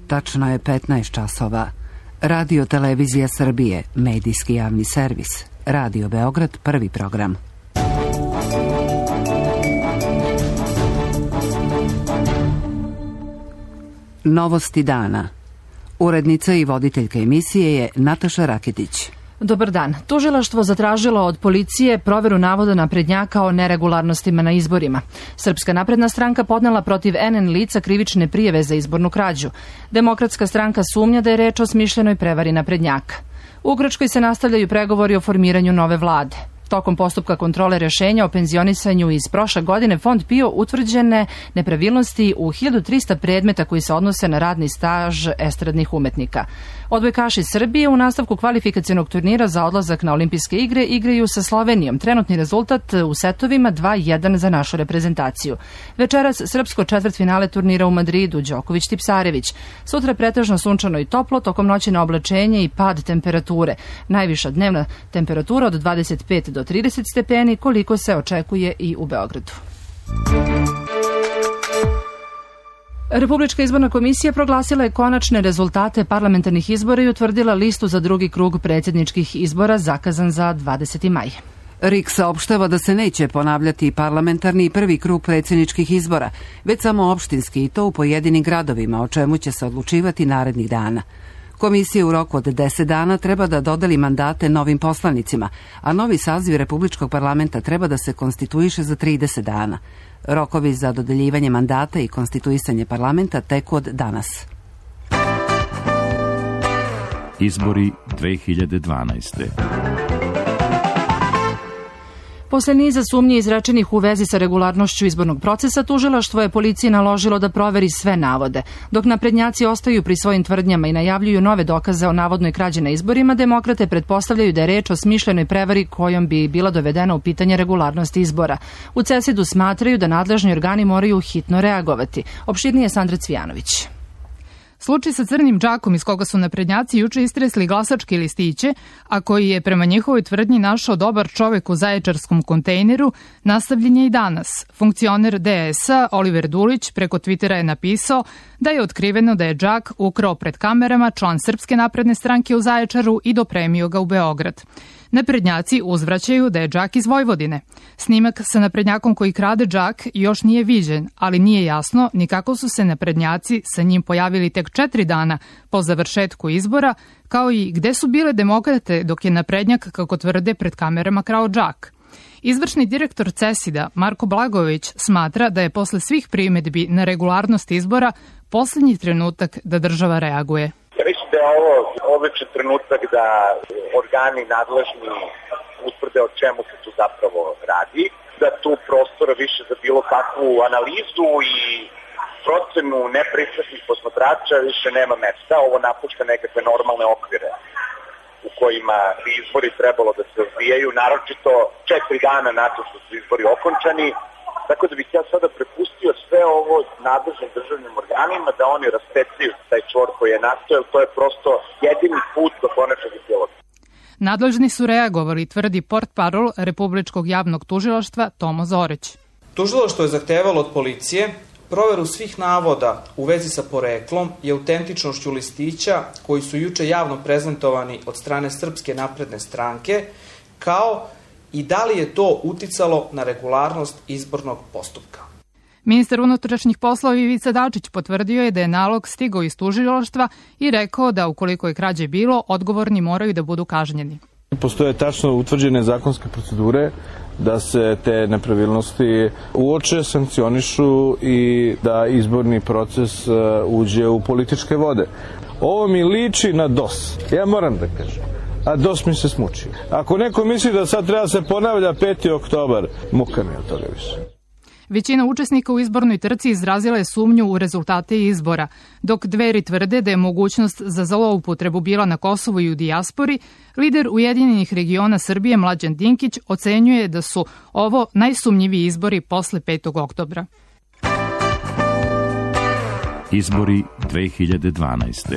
Tačno je 15 časova. Radio Televizija Srbije, medijski javni servis. Radio Beograd, prvi program. Novosti dana. Urednica i voditeljka emisije je Nataša Raketić. Dobar dan. Tužilaštvo zatražilo od policije proveru navoda naprednjaka o neregularnostima na izborima. Srpska napredna stranka podnela protiv NN lica krivične prijave za izbornu krađu. Demokratska stranka sumnja da je reč o smišljenoj prevari naprednjaka. U Grčkoj se nastavljaju pregovori o formiranju nove vlade. Tokom postupka kontrole rešenja o penzionisanju iz prošle godine Fond PIO utvrđene nepravilnosti u 1300 predmeta koji se odnose na radni staž estradnih umetnika. Odbojkaši Srbije u nastavku kvalifikacionog turnira za odlazak na olimpijske igre igraju sa Slovenijom. Trenutni rezultat u setovima 2-1 za našu reprezentaciju. Večeras srpsko četvrtfinale turnira u Madridu, Đoković-Tipsarević. Sutra pretežno sunčano i toplo, tokom noći na oblačenje i pad temperature. Najviša dnevna temperatura od 25 do 30 stepeni, koliko se očekuje i u Beogradu. Republička izborna komisija proglasila je konačne rezultate parlamentarnih izbora i utvrdila listu za drugi krug predsjedničkih izbora zakazan za 20. maj. RIK saopštava da se neće ponavljati parlamentarni prvi krug predsjedničkih izbora, već samo opštinski i to u pojedinim gradovima, o čemu će se odlučivati narednih dana. Komisija u roku od 10 dana treba da dodeli mandate novim poslanicima, a novi saziv Republičkog parlamenta treba da se konstituiše za 30 dana. Rokovi za dodeljivanje mandata i konstituisanje parlamenta teku od danas. Izbori 2012. Posle niza sumnji izrečenih u vezi sa regularnošću izbornog procesa, tužilaštvo je policiji naložilo da proveri sve navode. Dok naprednjaci ostaju pri svojim tvrdnjama i najavljuju nove dokaze o navodnoj krađi na izborima, demokrate pretpostavljaju da je reč o smišljenoj prevari kojom bi bila dovedena u pitanje regularnosti izbora. U CESID-u smatraju da nadležni organi moraju hitno reagovati. Opširnije Sandra Cvijanović. Slučaj sa crnim džakom iz koga su naprednjaci juče istresli glasačke listiće, a koji je prema njihovoj tvrdnji našao dobar čovek u zaječarskom kontejneru, nastavljen je i danas. Funkcioner DS-a Oliver Dulić preko Twittera je napisao da je otkriveno da je džak ukrao pred kamerama član Srpske napredne stranke u Zaječaru i dopremio ga u Beograd. Naprednjaci uzvraćaju da je džak iz Vojvodine. Snimak sa naprednjakom koji krade džak još nije viđen, ali nije jasno ni kako su se naprednjaci sa njim pojavili tek 4 dana po završetku izbora, kao i gde su bile demokrate dok je naprednjak, kako tvrde, pred kamerama krao džak. Izvršni direktor CESID-a Marko Blagojević smatra da je posle svih primedbi na regularnost izbora poslednji trenutak da država reaguje. Ja mislim da je ovo odličan trenutak da organi nadležni utvrde o čemu se tu zapravo radi, da tu prostora više za bilo kakvu analizu i procenu nepristrasnih posmatrača više nema mesta. Ovo napušta nekakve normalne okvire u kojima bi izbori trebalo da se odvijaju, naročito 4 dana nakon što su izbori okončani. Tako da bih ja sada prepustio sve ovo nadležnim državnim organima da oni raspecaju taj čvor koji je nastao, jer to je prosto jedini put do konačnog epiloga. Nadležni su reagovali, tvrdi portparol Republičkog javnog tužilaštva Tomo Zoreć. Tužilaštvo je zahtevalo od policije proveru svih navoda u vezi sa poreklom i autentičnošću listića koji su juče javno prezentovani od strane Srpske napredne stranke, kao i da li je to uticalo na regularnost izbornog postupka. Ministar unutrašnjih poslova Ivica Dačić potvrdio je da je nalog stigao iz tužilaštva i rekao da ukoliko je krađe bilo, odgovorni moraju da budu kažnjeni. Postoje tačno utvrđene zakonske procedure da se te nepravilnosti uoče, sankcionišu i da izborni proces uđe u političke vode. Ovo mi liči na DOS. Ja moram da kažem. A DOS mi se smučio. Ako neko misli da sad treba se ponavlja 5. oktobar, muka mi od toga više. Većina učesnika u izbornoj trci izrazila je sumnju u rezultate izbora, dok Dveri tvrde da je mogućnost za zloupotrebu bila na Kosovu i u dijaspori, lider Ujedinjenih regiona Srbije Mlađan Dinkić ocenjuje da su ovo najsumnjiviji izbori posle 5. oktobra. Izbori 2012.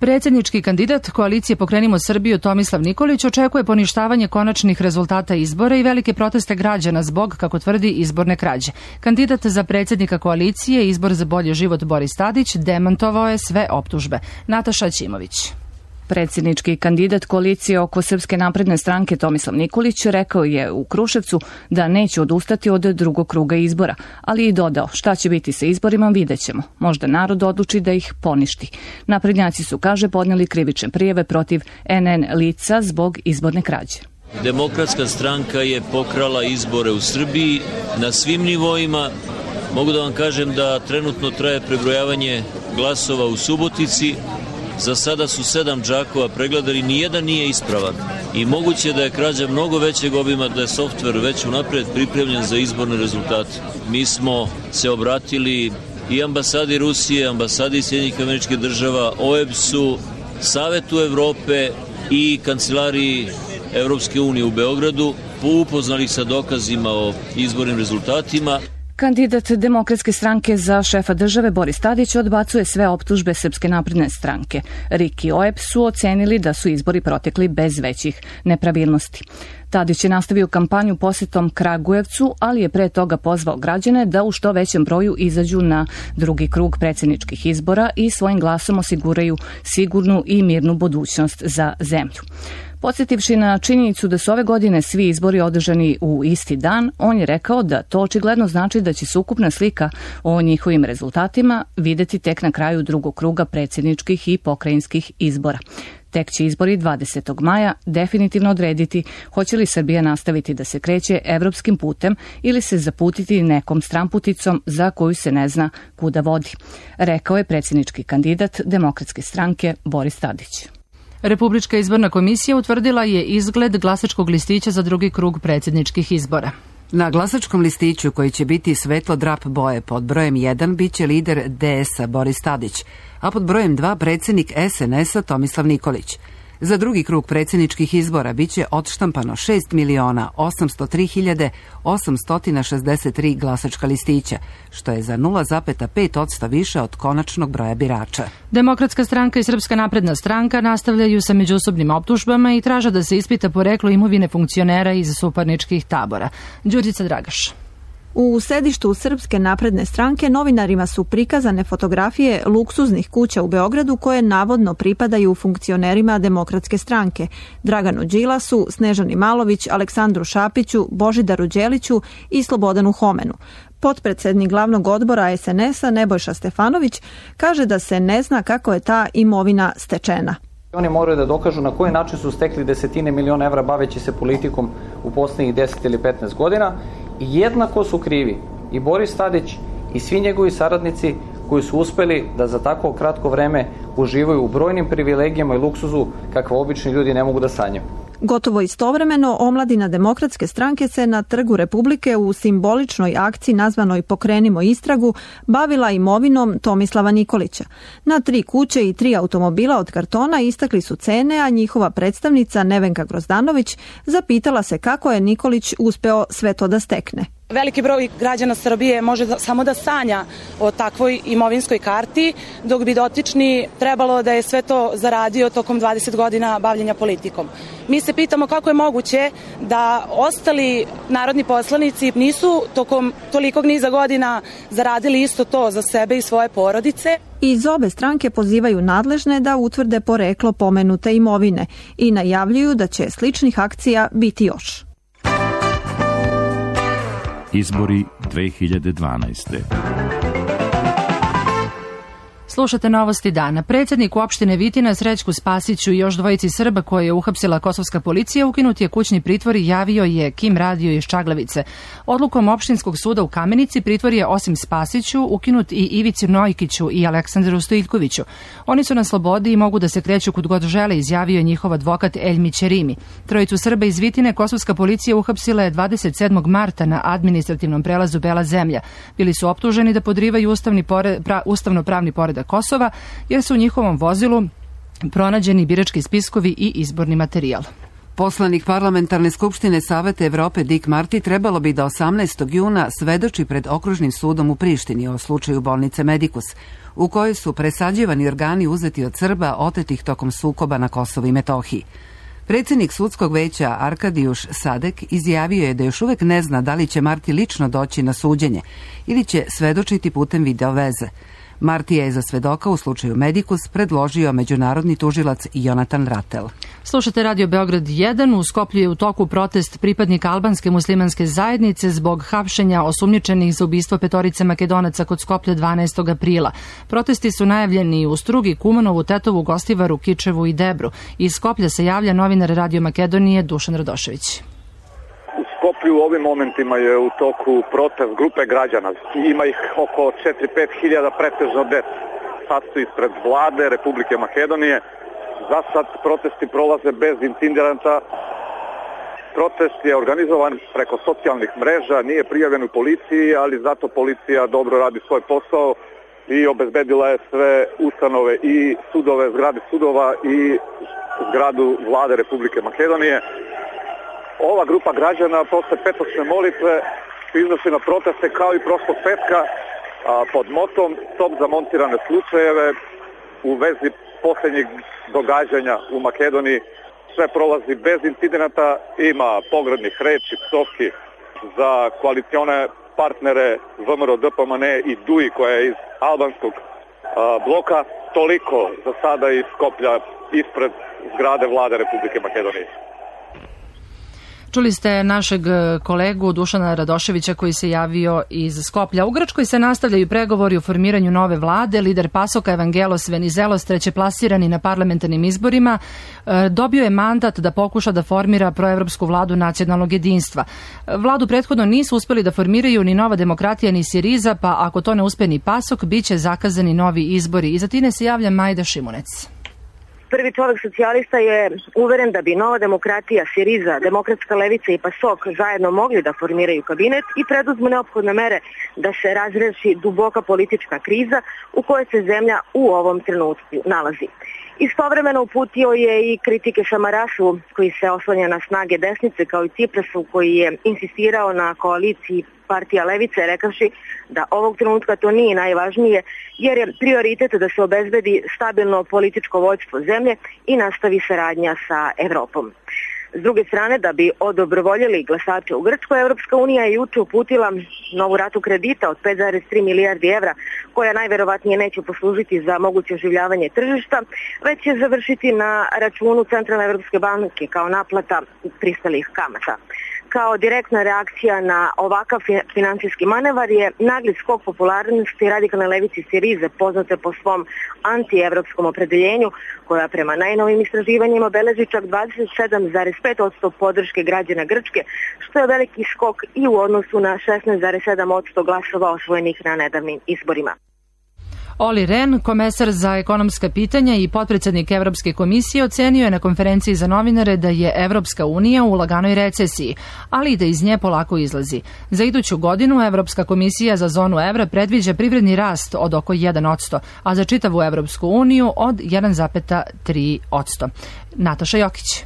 Predsjednički kandidat koalicije Pokrenimo Srbiju Tomislav Nikolić očekuje poništavanje konačnih rezultata izbora i velike proteste građana zbog, kako tvrdi, izborne krađe. Kandidat za predsjednika koalicije Izbor za bolji život Boris Tadić demantovao je sve optužbe. Nataša Ćimović. Predsjednički kandidat koalicije oko Srpske napredne stranke Tomislav Nikolić rekao je u Kruševcu da neće odustati od drugog kruga izbora, ali i dodao šta će biti sa izborima vidjet ćemo. Možda narod odluči da ih poništi. Naprednjaci su, kaže, podnijeli krivične prijave protiv NN lica zbog izborne krađe. Demokratska stranka je pokrala izbore u Srbiji na svim nivoima. Mogu da vam kažem da trenutno traje prebrojavanje glasova u Subotici. Za sada su 7 džakova pregledali, nijedan nije ispravan i moguće da je krađa mnogo većeg obima, da je softver već unapred pripremljen za izborne rezultate. Mi smo se obratili i ambasadi Rusije, ambasadi Sjedinjenih Američkih Država, OEBS-u, Savetu Evrope i Kancelariji Evropske unije u Beogradu, upoznali sa dokazima o izbornim rezultatima. Kandidat Demokratske stranke za šefa države Boris Tadić odbacuje sve optužbe Srpske napredne stranke. RIK i OEBS su ocenili da su izbori protekli bez većih nepravilnosti. Tadić je nastavio kampanju posjetom Kragujevcu, ali je pre toga pozvao građane da u što većem broju izađu na drugi krug predsjedničkih izbora i svojim glasom osiguraju sigurnu i mirnu budućnost za zemlju. Podsjetivši na činjenicu da su ove godine svi izbori održani u isti dan, on je rekao da to očigledno znači da će se ukupna slika o njihovim rezultatima videti tek na kraju drugog kruga predsjedničkih i pokrajinskih izbora. Tek će izbori 20. maja definitivno odrediti hoće li Srbija nastaviti da se kreće evropskim putem ili se zaputiti nekom stramputicom za koju se ne zna kuda vodi, rekao je predsjednički kandidat Demokratske stranke Boris Tadić. Republička izborna komisija utvrdila je izgled glasačkog listića za drugi krug predsjedničkih izbora. Na glasačkom listiću, koji će biti svetlo drap boje, pod brojem 1 biće lider DS-a Boris Tadić, a pod brojem 2 predsjednik SNS-a Tomislav Nikolić. Za drugi krug predsjedničkih izbora biće odštampano 6.803.863 glasačka listića, što je za 0,5% više od konačnog broja birača. Demokratska stranka i Srpska napredna stranka nastavljaju sa međusobnim optužbama i traže da se ispita poreklo imovine funkcionera iz suparničkih tabora. Đurđica Dragaš. U sedištu Srpske napredne stranke novinarima su prikazane fotografije luksuznih kuća u Beogradu koje navodno pripadaju funkcionerima Demokratske stranke, Draganu Đilasu, Snežani Malović, Aleksandru Šapiću, Božidaru Đeliću i Slobodanu Homenu. Potpredsednik glavnog odbora SNS-a Nebojša Stefanović kaže da se ne zna kako je ta imovina stečena. Oni moraju da dokažu na koji način su stekli desetine miliona evra baveći se politikom u poslednjih 10 ili 15 godina. I jednako su krivi i Boris Tadić i svi njegovi saradnici koji su uspeli da za tako kratko vreme uživaju u brojnim privilegijama i luksuzu kakve obični ljudi ne mogu da sanjaju. Gotovo istovremeno, omladina Demokratske stranke se na Trgu Republike u simboličnoj akciji nazvanoj Pokrenimo istragu bavila imovinom Tomislava Nikolića. Na 3 kuće i 3 automobila od kartona istakli su cene, a njihova predstavnica Nevenka Grozdanović zapitala se kako je Nikolić uspeo sve to da stekne. Veliki broj građana Srbije može samo da sanja o takvoj imovinskoj karti, dok bi dotični trebalo da je sve to zaradio tokom 20 godina bavljenja politikom. Mi se pitamo kako je moguće da ostali narodni poslanici nisu tokom tolikog niza godina zaradili isto to za sebe i svoje porodice. Iz obe stranke pozivaju nadležne da utvrde poreklo pomenute imovine i najavljuju da će sličnih akcija biti još. Izbori 2012. Slušate novosti dana. Predsjednik opštine Vitina Srećku Spasiću i još dvojici Srba koje je uhapsila kosovska policija ukinut je kućni pritvor i javio je Kim Radio iz Čaglavice. Odlukom opštinskog suda u Kamenici pritvor je osim Spasiću ukinut i Ivici Nojkiću i Aleksandru Stojiljkoviću. Oni su na slobodi i mogu da se kreću kud god žele, izjavio je njihov advokat Eljmi Ćerimi. Trojicu Srba iz Vitine kosovska policija uhapsila je 27. marta na administrativnom prelazu Bela Zemlja. Bili su optuženi da podrivaju ustavno-pravni poredak Kosova, jer su u njihovom vozilu pronađeni birački spiskovi i izborni materijal. Poslanik Parlamentarne skupštine Saveta Evrope Dick Marty trebalo bi da 18. juna svedoči pred okružnim sudom u Prištini o slučaju bolnice Medikus, u kojoj su presađivani organi uzeti od Srba otetih tokom sukoba na Kosovu i Metohiji. Predsjednik sudskog veća Arkadijuš Sadek izjavio je da još uvek ne zna da li će Marty lično doći na suđenje ili će svedočiti putem video veze. Marty je za svedoka u slučaju Medikus predložio međunarodni tužilac Jonatan Ratel. Slušate Radio Beograd 1. U Skoplju je u toku protest pripadnika albanske muslimanske zajednice zbog hapšenja osumnjičenih za ubistvo 5 Makedonaca kod Skoplja 12. aprila. Protesti su najavljeni u Strugi, Kumanovu, Tetovu, Gostivaru, Kičevu i Debru. Iz Skoplja se javlja novinar Radio Makedonije Dušan Radošević. U Skoplju u ovim momentima je u toku protest grupe građana. Ima ih oko 4-5 hiljada, pretežno dece. Sad su ispred vlade Republike Makedonije. Za sad protesti prolaze bez incidenata. Protest je organizovan preko socijalnih mreža, nije prijavljen u policiji, ali zato policija dobro radi svoj posao i obezbedila je sve ustanove i sudove, zgrade sudova i zgradu vlade Republike Makedonije. Ova grupa građana posle petočne molitve iznosi na proteste kao i prošlog petka pod motom Stop za montirane slučajeve u vezi posljednjih događanja u Makedoniji. Sve prolazi bez incidenata, ima pogrdnih reči, psovki za koalicione partnere VMRO, DPMN i DUI koja je iz albanskog bloka. Toliko za sada iz Skoplja ispred zgrade vlade Republike Makedonije. Čuli ste našeg kolegu Dušana Radoševića koji se javio iz Skoplja. U Grčkoj se nastavljaju pregovori o formiranju nove vlade. Lider Pasoka Evangelos Venizelos, trećeplasirani na parlamentarnim izborima, dobio je mandat da pokuša da formira proevropsku vladu nacionalnog jedinstva. Vladu prethodno nisu uspeli da formiraju ni Nova demokratija ni Siriza, pa ako to ne uspe ni Pasok, bit će zakazani novi izbori. Iza Tine se javlja Majda Šimunec. Prvi čovjek socijalista je uveren da bi Nova demokratija, Siriza, Demokratska levica i PASOK zajedno mogli da formiraju kabinet i preduzmu neophodne mere da se razreši duboka politička kriza u kojoj se zemlja u ovom trenutku nalazi. Istovremeno uputio je i kritike Samarašu koji se oslanja na snage desnice kao i Ciprasu koji je insistirao na koaliciji partija levice rekavši da ovog trenutka to nije najvažnije jer je prioritet da se obezbedi stabilno političko vođstvo zemlje i nastavi saradnja sa Evropom. S druge strane, da bi odobrovoljili glasače u Grčkoj, Evropska unija je juče uputila novu ratu kredita od 5,3 milijardi evra, koja najverovatnije neće poslužiti za moguće oživljavanje tržišta, već će završiti na računu Centralne Evropske banke kao naplata pristalih kamata. Kao direktna reakcija na ovakav finansijski manevar je nagli skok popularnosti radikalne levice Sirize, poznate po svom antievropskom opredeljenju, koja prema najnovim istraživanjima beleži čak 27,5% podrške građana Grčke, što je veliki skok i u odnosu na 16,7% glasova osvojenih na nedavnim izborima. Olli Rehn, komesar za ekonomska pitanja i potpredsjednik Evropske komisije, ocenio je na konferenciji za novinare da je Evropska unija u laganoj recesiji, ali i da iz nje polako izlazi. Za iduću godinu Evropska komisija za zonu evra predviđa privredni rast od oko 1%, a za čitavu Evropsku uniju od 1,3%. Nataša Jokić.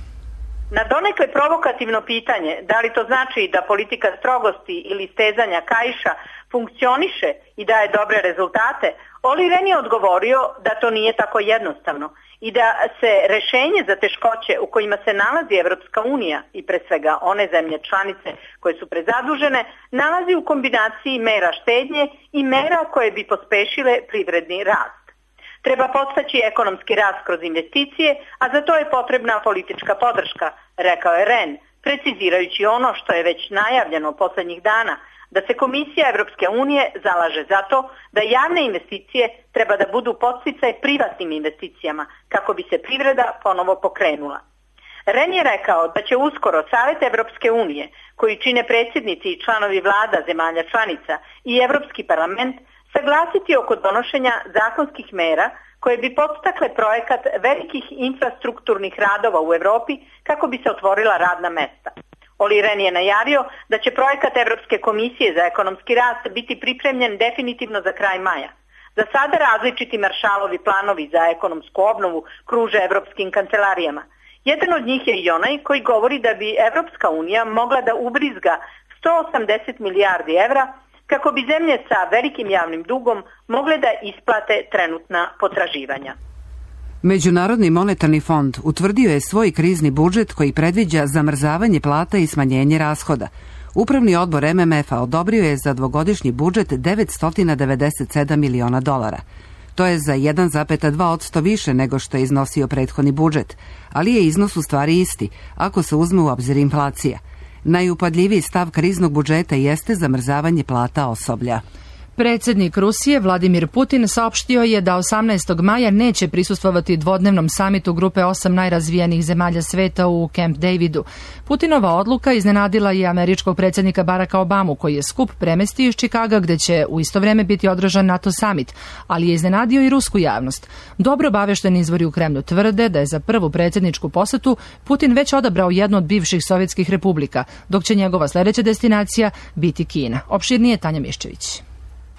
Na donekle provokativno pitanje da li to znači da politika strogosti ili stezanja kaiša funkcioniše i daje dobre rezultate, Olli Rehn je odgovorio da to nije tako jednostavno i da se rešenje za teškoće u kojima se nalazi Evropska unija i pre svega one zemlje članice koje su prezadužene nalazi u kombinaciji mera štednje i mera koje bi pospešile privredni rast. Treba podstaći ekonomski rast kroz investicije, a za to je potrebna politička podrška, rekao je Rehn, precizirajući ono što je već najavljeno poslednjih dana, da se Komisija Evropske unije zalaže za to da javne investicije treba da budu podsticaj privatnim investicijama kako bi se privreda ponovo pokrenula. Rehn je rekao da će uskoro Savet Evropske unije, koji čine predsjednici i članovi vlada zemalja članica i Evropski parlament, saglasiti oko donošenja zakonskih mera koje bi podstakle projekat velikih infrastrukturnih radova u Evropi kako bi se otvorila radna mesta. Olli Rehn je najavio da će projekat Evropske komisije za ekonomski rast biti pripremljen definitivno za kraj maja. Za sada različiti maršalovi planovi za ekonomsku obnovu kruže evropskim kancelarijama. Jedan od njih je i onaj koji govori da bi Evropska unija mogla da ubrizga 180 milijardi evra kako bi zemlje sa velikim javnim dugom mogle da isplate trenutna potraživanja. Međunarodni monetarni fond utvrdio je svoj krizni budžet koji predviđa zamrzavanje plata i smanjenje rashoda. Upravni odbor MMF-a odobrio je za dvogodišnji budžet $997 miliona. To je za 1,2% više nego što je iznosio prethodni budžet, ali je iznos u stvari isti, ako se uzme u obzir inflacija. Najupadljiviji stav kriznog budžeta jeste zamrzavanje plata osoblja. Predsjednik Rusije Vladimir Putin saopštio je da 18. maja neće prisustvovati dvodnevnom samitu grupe 8 najrazvijenijih zemalja sveta u Camp Davidu. Putinova odluka iznenadila je američkog predsjednika Baracka Obamu, koji je skup premestio iz Čikaga gdje će u isto vrijeme biti održan NATO samit, ali je iznenadio i rusku javnost. Dobro obavešteni izvori u Kremlju tvrde da je za prvu predsjedničku posetu Putin već odabrao jednu od bivših sovjetskih republika, dok će njegova sljedeća destinacija biti Kina. Opširnije Tanja Miščević.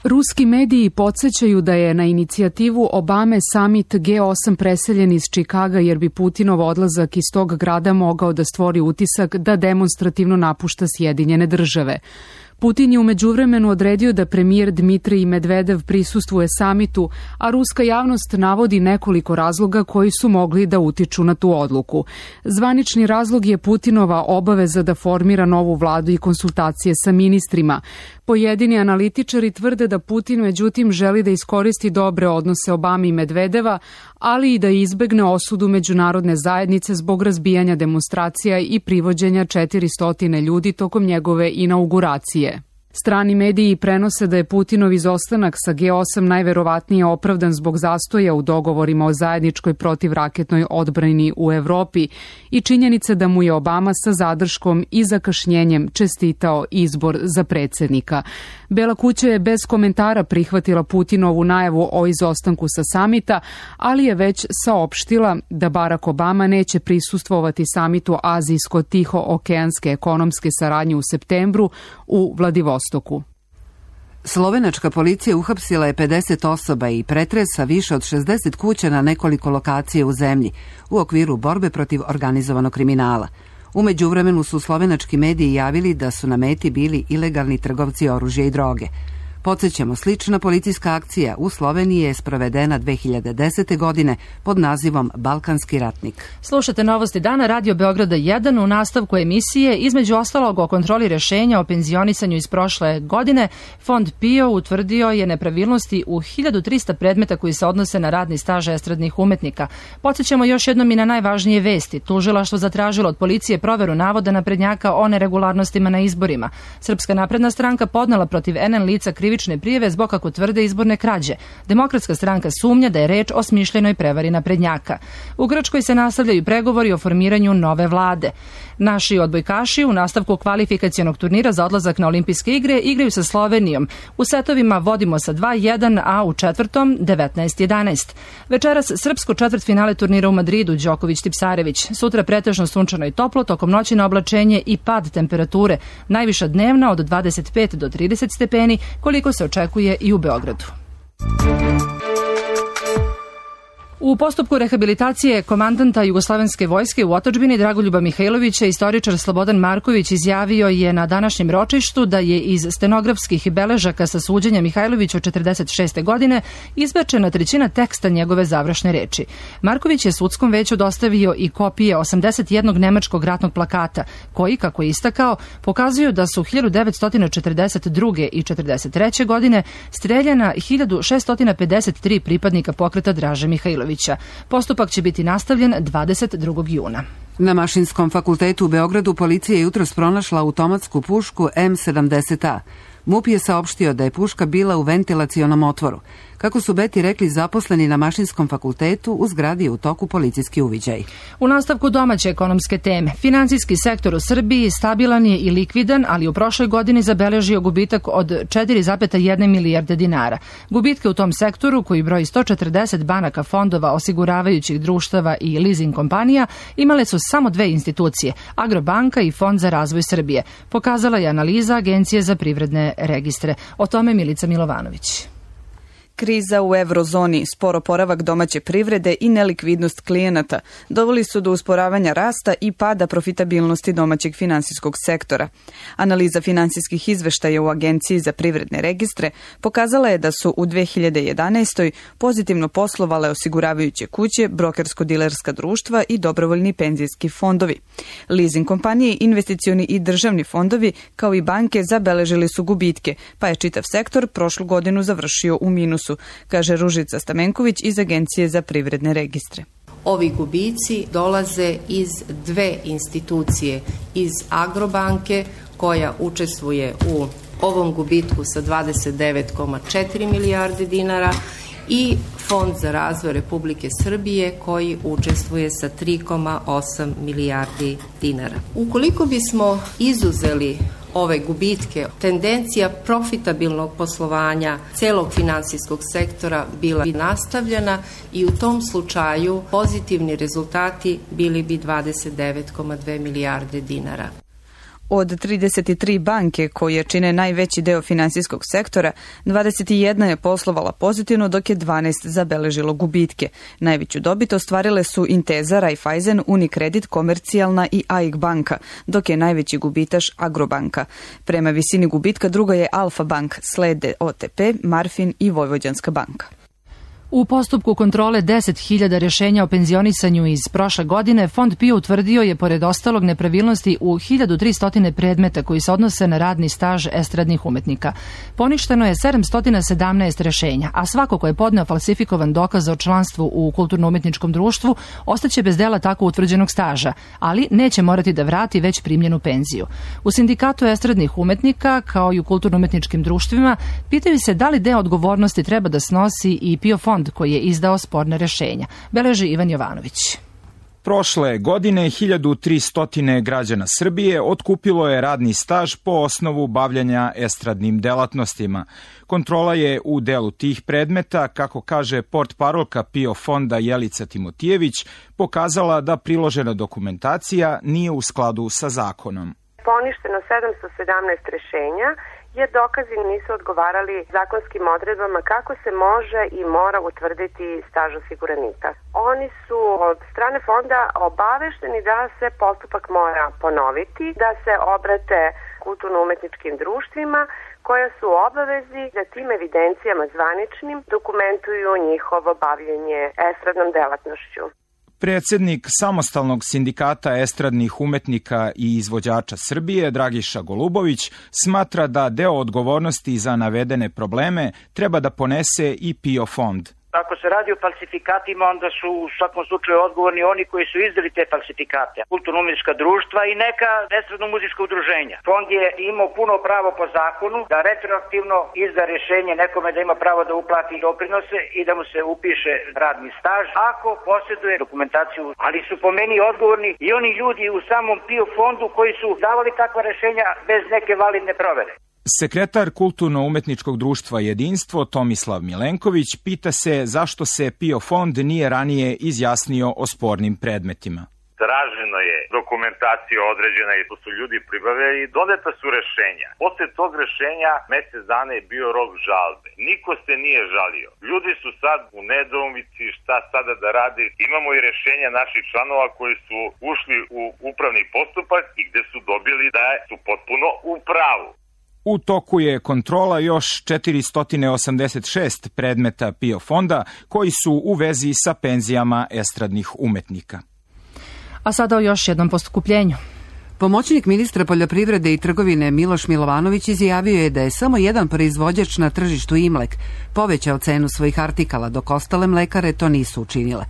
Ruski mediji podsjećaju da je na inicijativu Obame samit G8 preseljen iz Čikaga jer bi Putinov odlazak iz tog grada mogao da stvori utisak da demonstrativno napušta Sjedinjene države. Putin je u međuvremenu odredio da premijer Dmitrij Medvedev prisustvuje samitu, a ruska javnost navodi nekoliko razloga koji su mogli da utiču na tu odluku. Zvanični razlog je Putinova obaveza da formira novu vladu i konsultacije sa ministrima. Pojedini analitičari tvrde da Putin međutim želi da iskoristi dobre odnose Obame i Medvedeva, ali i da izbegne osudu međunarodne zajednice zbog razbijanja demonstracija i privođenja 400 ljudi tokom njegove inauguracije. Strani mediji prenose da je Putinov izostanak sa G8 najverovatnije opravdan zbog zastoja u dogovorima o zajedničkoj protivraketnoj odbrani u Evropi i činjenice da mu je Obama sa zadrškom i zakašnjenjem čestitao izbor za predsjednika. Bela kuća je bez komentara prihvatila Putinovu najavu o izostanku sa samita, ali je već saopštila da Barack Obama neće prisustvovati samitu Azijsko-Tiho-okeanske ekonomske saradnje u septembru u Vladivostoku. Slovenačka policija uhapsila je 50 osoba i pretresa više od 60 kuća na nekoliko lokacija u zemlji u okviru borbe protiv organizovanog kriminala. U međuvremenu su slovenački mediji javili da su na meti bili ilegalni trgovci oružja i droge. Podsjećamo, slična policijska akcija u Sloveniji je sprovedena 2010. godine pod nazivom Balkanski ratnik. Slušate Novosti dana, Radio Beograda 1. U nastavku emisije, između ostalog o kontroli rješenja o penzionisanju iz prošle godine, Fond PIO utvrdio je nepravilnosti u 1300 predmeta koji se odnose na radni staž estradnih umetnika. Podsjećamo još jednom i na najvažnije vesti. Tužilaštvo zatražilo od policije proveru navoda naprednjaka o neregularnostima na izborima. Srpska napredna stranka podnela protiv NN lica krivične prijave zbog, kako tvrde, izborne krađe. Demokratska stranka sumnja da je reč o smišljenoj prevari naprednjaka. U Grčkoj se nastavljaju pregovori o formiranju nove vlade. Naši odbojkaši u nastavku kvalifikacionog turnira za odlazak na olimpijske igre igraju sa Slovenijom. U setovima vodimo sa 2-1, a u četvrtom 19-11. Večeras srpsko četvrtfinale turnira u Madridu, Đoković-Tipsarević. Sutra pretežno sunčano i toplo, tokom noći na oblačenje i pad temperature. Najviša dnevna od 25 do 30 stepeni, koliko se očekuje i u Beogradu. U postupku rehabilitacije komandanta Jugoslovenske vojske u otadžbini Dragoljuba Mihajlovića istoričar Slobodan Marković izjavio je na današnjem ročištu da je iz stenografskih beležaka sa suđenja Mihajlovića od 46. godine izbačena trećina teksta njegove završne reči. Marković je sudskom veću dostavio i kopije 81 nemačkog ratnog plakata, koji, kako je istakao, pokazuju da su 1942. i 43. godine streljana 1653 pripadnika pokreta Draže Mihajlovića. Postupak će biti nastavljen 22. juna. Na Mašinskom fakultetu u Beogradu policija je jutros pronašla automatsku pušku M70A. MUP je saopštio da je puška bila u ventilacionom otvoru. Kako su Beti rekli zaposleni na Mašinskom fakultetu, u zgradi je u toku policijski uviđaj. U nastavku domaće ekonomske teme. Financijski sektor u Srbiji stabilan je i likvidan, ali u prošloj godini zabeležio gubitak od 4,1 milijarde dinara. Gubitke u tom sektoru, koji broji 140 banaka, fondova, osiguravajućih društava i leasing kompanija, imale su samo dve institucije, Agrobanka i Fond za razvoj Srbije. Pokazala je analiza Agencije za privredne registre. O tome Milica Milovanović. Kriza u eurozoni, spor oporavak domaće privrede i nelikvidnost klijenata doveli su do usporavanja rasta i pada profitabilnosti domaćeg finansijskog sektora. Analiza finansijskih izveštaja u Agenciji za privredne registre pokazala je da su u 2011. pozitivno poslovale osiguravajuće kuće, brokersko-dilerska društva i dobrovoljni penzijski fondovi. Leasing kompanije, investicioni i državni fondovi, kao i banke, zabeležili su gubitke, pa je čitav sektor prošlu godinu završio u minusu, kaže Ružica Stamenković iz Agencije za privredne registre. Ovi gubici dolaze iz dve institucije, iz Agrobanke koja učestvuje u ovom gubitku sa 29,4 milijarde dinara i Fond za razvoj Republike Srbije koji učestvuje sa 3,8 milijardi dinara. Ukoliko bismo izuzeli ove gubitke, tendencija profitabilnog poslovanja celog finansijskog sektora bila bi nastavljena i u tom slučaju pozitivni rezultati bili bi 29,2 milijarde dinara. Od 33 banke koje čine najveći deo finansijskog sektora, 21 je poslovala pozitivno, dok je 12 zabeležilo gubitke. Najveću dobit ostvarile su Intesa, Raiffeisen, Unicredit, Komercijalna i AIK banka, dok je najveći gubitaš Agrobanka. Prema visini gubitka druga je Alfa bank, slede OTP, Marfin i Vojvođanska banka. U postupku kontrole 10.000 rešenja o penzionisanju iz prošle godine, Fond PIO utvrdio je, pored ostalog, nepravilnosti u 1300 predmeta koji se odnose na radni staž estradnih umetnika. Poništeno je 717 rešenja, a svako ko je podneo falsifikovan dokaz o članstvu u kulturno-umetničkom društvu ostaće bez dela tako utvrđenog staža, ali neće morati da vrati već primljenu penziju. U Sindikatu estradnih umetnika, kao i u kulturno-umetničkim društvima, pitaju se da li deo odgovornosti treba da snosi i PIO fond koji je izdao sporne rešenja, beleži Ivan Jovanović. Prošle godine 1300 građana Srbije otkupilo je radni staž po osnovu bavljanja estradnim delatnostima. Kontrola je u delu tih predmeta, kako kaže portparolka PIO fonda Jelica Timotijević, pokazala da priložena dokumentacija nije u skladu sa zakonom. Poništeno 717 rešenja, jer dokazi nisu odgovarali zakonskim odredbama kako se može i mora utvrditi staž osiguranika. Oni su od strane fonda obavešteni da se postupak mora ponoviti, da se obrate kulturno-umetničkim društvima koja su u obavezi da tim evidencijama zvaničnim dokumentuju njihovo bavljenje estradnom delatnošću. Predsednik Samostalnog sindikata estradnih umetnika i izvođača Srbije, Dragiša Golubović, smatra da deo odgovornosti za navedene probleme treba da ponese i PIO fond. Ako se radi o falsifikatima, onda su u svakom slučaju odgovorni oni koji su izdali te falsifikate. Kulturno-umetnička društva i neka estradno-muzička udruženja. Fond je imao puno pravo po zakonu da retroaktivno izda rešenje nekome da ima pravo da uplati doprinose i da mu se upiše radni staž ako posjeduje dokumentaciju. Ali su po meni odgovorni i oni ljudi u samom PIO fondu koji su davali takva rešenja bez neke validne provere. Sekretar Kulturno-umetničkog društva Jedinstvo Tomislav Milenković pita se zašto se PIO fond nije ranije izjasnio o spornim predmetima. Traženo je dokumentacija određena i to su ljudi pribavili i doneta su rešenja. Posle tog rešenja mesec dana je bio rok žalbe. Niko se nije žalio. Ljudi su sad u nedoumici šta sada da rade. Imamo i rešenja naših članova koji su ušli u upravni postupak i gde su dobili da su potpuno u pravu. U toku je kontrola još 486 predmeta PIO fonda koji su u vezi sa penzijama estradnih umetnika. A sada o još jednom poskupljenju. Pomoćnik ministra poljoprivrede i trgovine Miloš Milovanović izjavio je da je samo jedan proizvođač na tržištu Imlek povećao cenu svojih artikala, dok ostale mlekare to nisu učinile.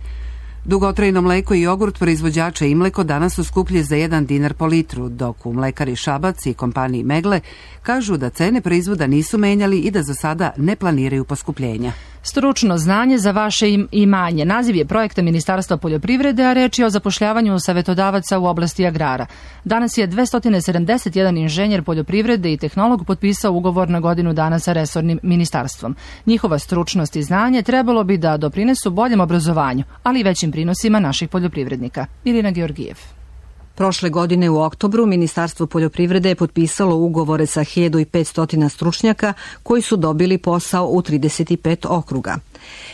Dugotrajno mleko i jogurt proizvođača Imleko danas su skuplji za 1 dinar po litru, dok u mlekari Šabac i kompaniji Megle kažu da cene proizvoda nisu menjali i da za sada ne planiraju poskupljenja. Stručno znanje za vaše imanje. Naziv je projekta Ministarstva poljoprivrede, a reč je o zapošljavanju savetodavaca u oblasti agrara. Danas je 271 inženjer poljoprivrede i tehnolog potpisao ugovor na godinu dana sa resornim ministarstvom. Njihova stručnost i znanje trebalo bi da doprinesu boljem obrazovanju, ali i većim prinosima naših poljoprivrednika. Milina Georgijev. Prošle godine u oktobru Ministarstvo poljoprivrede je potpisalo ugovore sa 1500 stručnjaka koji su dobili posao u 35 okruga.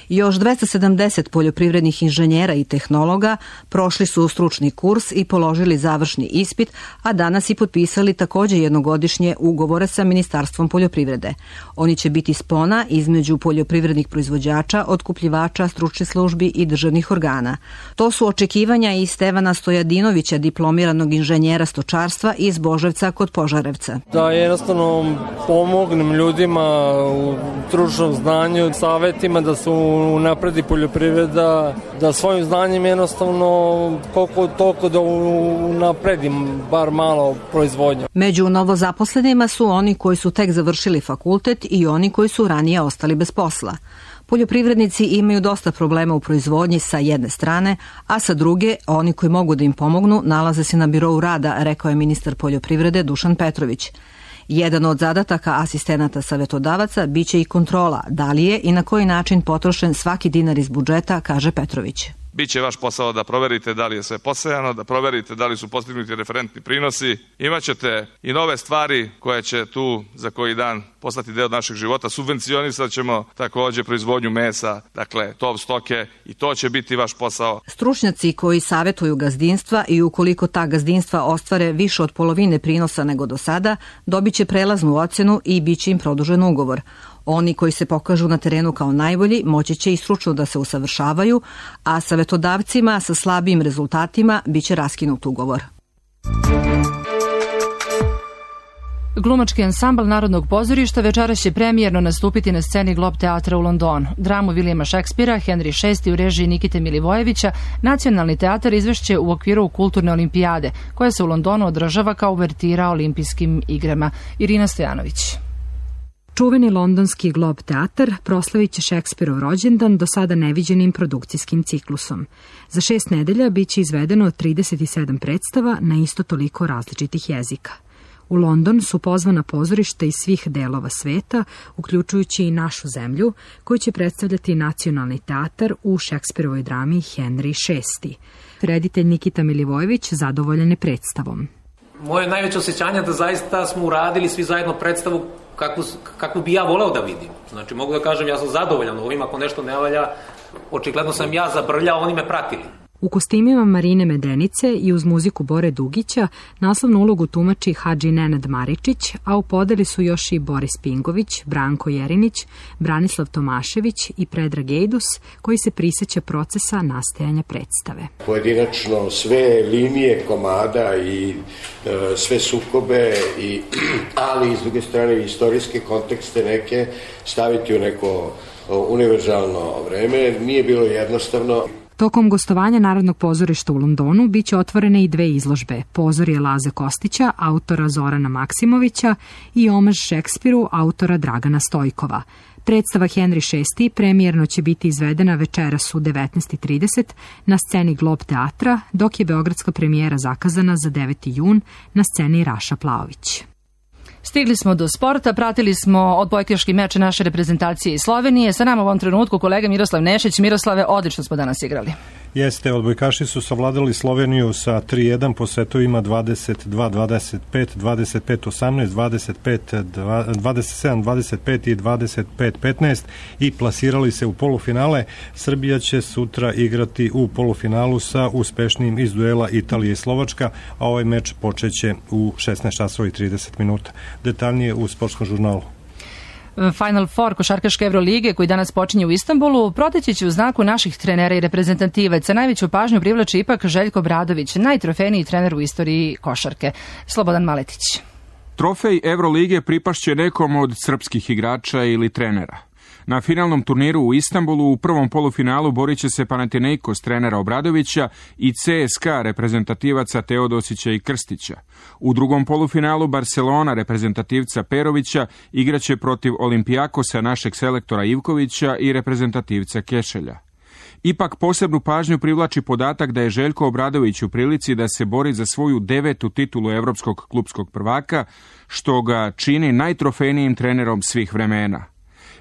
Još 270 poljoprivrednih inženjera i tehnologa prošli su stručni kurs i položili završni ispit, a danas i potpisali također jednogodišnje ugovore sa Ministarstvom poljoprivrede. Oni će biti spona između poljoprivrednih proizvođača, otkupljivača, stručnih službi i državnih organa. To su očekivanja i Stevana Stojadinovića, diplomiranog inženjera stočarstva iz Boževca kod Požarevca. Da jednostavno pomognem ljudima u stručnom znanju, savjetima da se unapredi poljoprivreda, da svojim znanjem jednostavno koliko toliko da unapredim bar malo proizvodnju. Među novozaposlenima su oni koji su tek završili fakultet i oni koji su ranije ostali bez posla. Poljoprivrednici imaju dosta problema u proizvodnji sa jedne strane, a sa druge, oni koji mogu da im pomognu nalaze se na birou rada, rekao je ministar poljoprivrede Dušan Petrović. Jedan od zadataka asistenata savjetodavaca biće i kontrola, da li je i na koji način potrošen svaki dinar iz budžeta, kaže Petrović. Biće vaš posao da proverite da li je sve posejano, da proverite da li su postignuti referentni prinosi. Imaćete i nove stvari koje će tu za koji dan postati deo našeg života. Subvencionisat ćemo također proizvodnju mesa, dakle tov stoke, i to će biti vaš posao. Stručnjaci koji savjetuju gazdinstva i ukoliko ta gazdinstva ostvare više od polovine prinosa nego do sada, dobit će prelaznu ocjenu i bit će im produžen ugovor. Oni koji se pokažu na terenu kao najbolji moći će i stručno da se usavršavaju, a savjetodavcima sa slabijim rezultatima bit će raskinut ugovor. Glumački ansambl Narodnog pozorišta večeras će premijerno nastupiti na sceni Globe teatra u Londonu. Dramu Vilijama Šekspira, Henry VI u režiji Nikite Milivojevića, Nacionalni teatar izvešće u okviru Kulturne olimpijade, koja se u Londonu održava kao uvertira olimpijskim igrama. Irina Stojanović. Čuveni londonski Globe teatar proslavit će Šekspirov rođendan do sada neviđenim produkcijskim ciklusom. Za 6 nedelja bit će izvedeno 37 predstava na isto toliko različitih jezika. U London su pozvana pozorišta iz svih delova sveta, uključujući i našu zemlju, koju će predstavljati Nacionalni teatar u Šekspirovoj drami Henry VI. Reditelj Nikita Milivojević zadovoljan je predstavom. Moje najveće osjećanje da zaista smo uradili svi zajedno predstavu kakvu bi ja voleo da vidim. Znači, mogu da kažem, ja sam zadovoljan ovim, ako nešto ne valja, očigledno sam ja zabrljao, oni me pratili. U kostimima Marine Medenice i uz muziku Bore Dugića naslovnu ulogu tumači Hadži Nenad Maričić, a u podeli su još i Boris Pingović, Branko Jerinić, Branislav Tomašević i Predrag Ejdus, koji se prisjeća procesa nastajanja predstave. Pojedinačno sve linije komada i sve sukobe, ali s druge strane istorijske kontekste neke staviti u neko univerzalno vreme nije bilo jednostavno. Tokom gostovanja Narodnog pozorišta u Londonu biće otvorene i 2 izložbe, Pozorje Laze Kostića, autora Zorana Maksimovića, i Omaž Šekspiru, autora Dragana Stojkova. Predstava Henry VI premijerno će biti izvedena večeras u 19:30 na sceni Globe teatra, dok je beogradska premijera zakazana za 9. jun na sceni Raša Plaović. Stigli smo do sporta, pratili smo odbojkaški meč naše reprezentacije iz Slovenije. Sa nama u ovom trenutku kolega Miroslav Nešić. Miroslave, odlično smo danas igrali. Jeste, odbojkaši su savladali Sloveniju sa 3-1 po setovima 22-25, 25-18, 27-25 i 25-15 i plasirali se u polufinale. Srbija će sutra igrati u polufinalu sa uspešnijim iz duela Italije i Slovačka, a ovaj meč počeće u 16:30. Detaljnije u sportskom žurnalu. Final Four košarkaške Evrolige koji danas počinje u Istanbulu proteći će u znaku naših trenera i reprezentativaca. Najveću pažnju privlači ipak Željko Obradović, najtrofejniji trener u istoriji košarke. Slobodan Maletić. Trofej Evrolige pripašće nekom od srpskih igrača ili trenera. Na finalnom turniru u Istanbulu u prvom polufinalu borit će se Panathinaikos trenera Obradovića i CSKA reprezentativaca Teodosića i Krstića. U drugom polufinalu Barcelona reprezentativca Perovića igraće protiv Olimpijakosa našeg selektora Ivkovića i reprezentativca Kešelja. Ipak posebnu pažnju privlači podatak da je Željko Obradović u prilici da se bori za svoju 9. titulu evropskog klupskog prvaka, što ga čini najtrofejnijim trenerom svih vremena.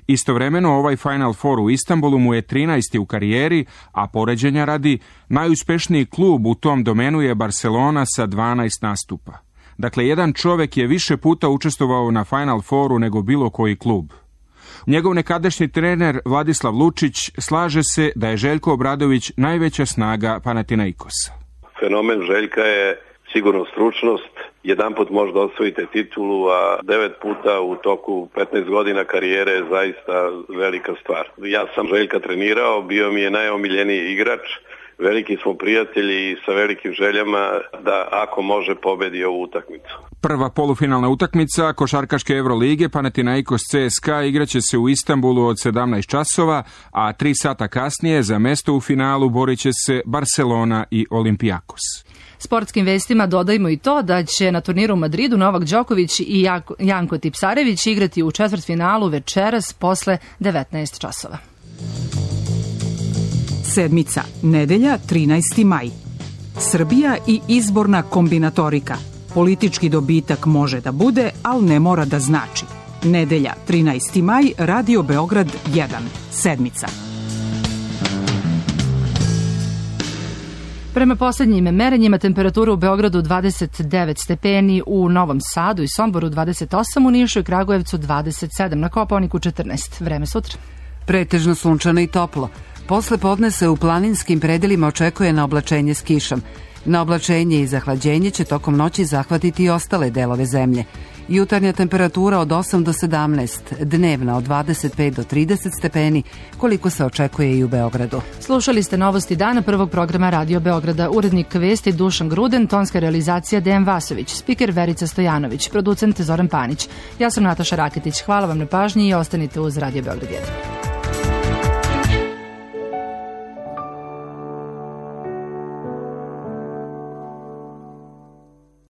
Istovremeno ovaj Final Four u Istanbulu mu je 13. u karijeri, a poređenja radi, najuspešniji klub u tom domenu je Barcelona sa 12 nastupa. Dakle, jedan čovek je više puta učestvovao na Final Fouru nego bilo koji klub. Njegov nekadašnji trener Vladislav Lučić slaže se da je Željko Obradović najveća snaga Panathinaikosa. Fenomen Željka je sigurno stručnost. Jedanput možda osvojite titulu, a 9 puta u toku 15 godina karijere je zaista velika stvar. Ja sam Željka trenirao, bio mi je najomiljeniji igrač. Veliki smo prijatelji i sa velikim željama da ako može pobedi ovu utakmicu. Prva polufinalna utakmica košarkaške Evrolige Panathinaikos CSKA igraće se u Istanbulu od 17 časova, a 3 sata kasnije za mesto u finalu borit će se Barcelona i Olympiakos. Sportskim vestima dodajmo i to da će na turniru u Madridu Novak Đoković i Janko Tipsarević igrati u četvrtfinalu večeras posle 19 časova. Sedmica, nedelja, 13. maj. Srbija i izborna kombinatorika. Politički dobitak može da bude, ali ne mora da znači. Nedelja, 13. maj, Radio Beograd 1. Sedmica. Prema posljednjim merenjima temperatura u Beogradu 29 stepeni, u Novom Sadu i Somboru 28, u Nišu i Kragujevcu 27, na Kopaoniku 14. Vreme sutra. Pretežno sunčano i toplo. Posle podne se u planinskim predelima očekuje na oblačenje s kišom. Na oblačenje i zahlađenje će tokom noći zahvatiti i ostale delove zemlje. Jutarnja temperatura od 8 do 17, dnevna od 25 do 30 stepeni, koliko se očekuje i u Beogradu. Slušali ste novosti dana prvog programa Radio Beograda. Urednik vesti Dušan Gruden, tonska realizacija Dejan Vasović, spiker Verica Stojanović, producent Zoran Panić. Ja sam Nataša Raketić. Hvala vam na pažnji i ostanite uz Radio Beograd 1.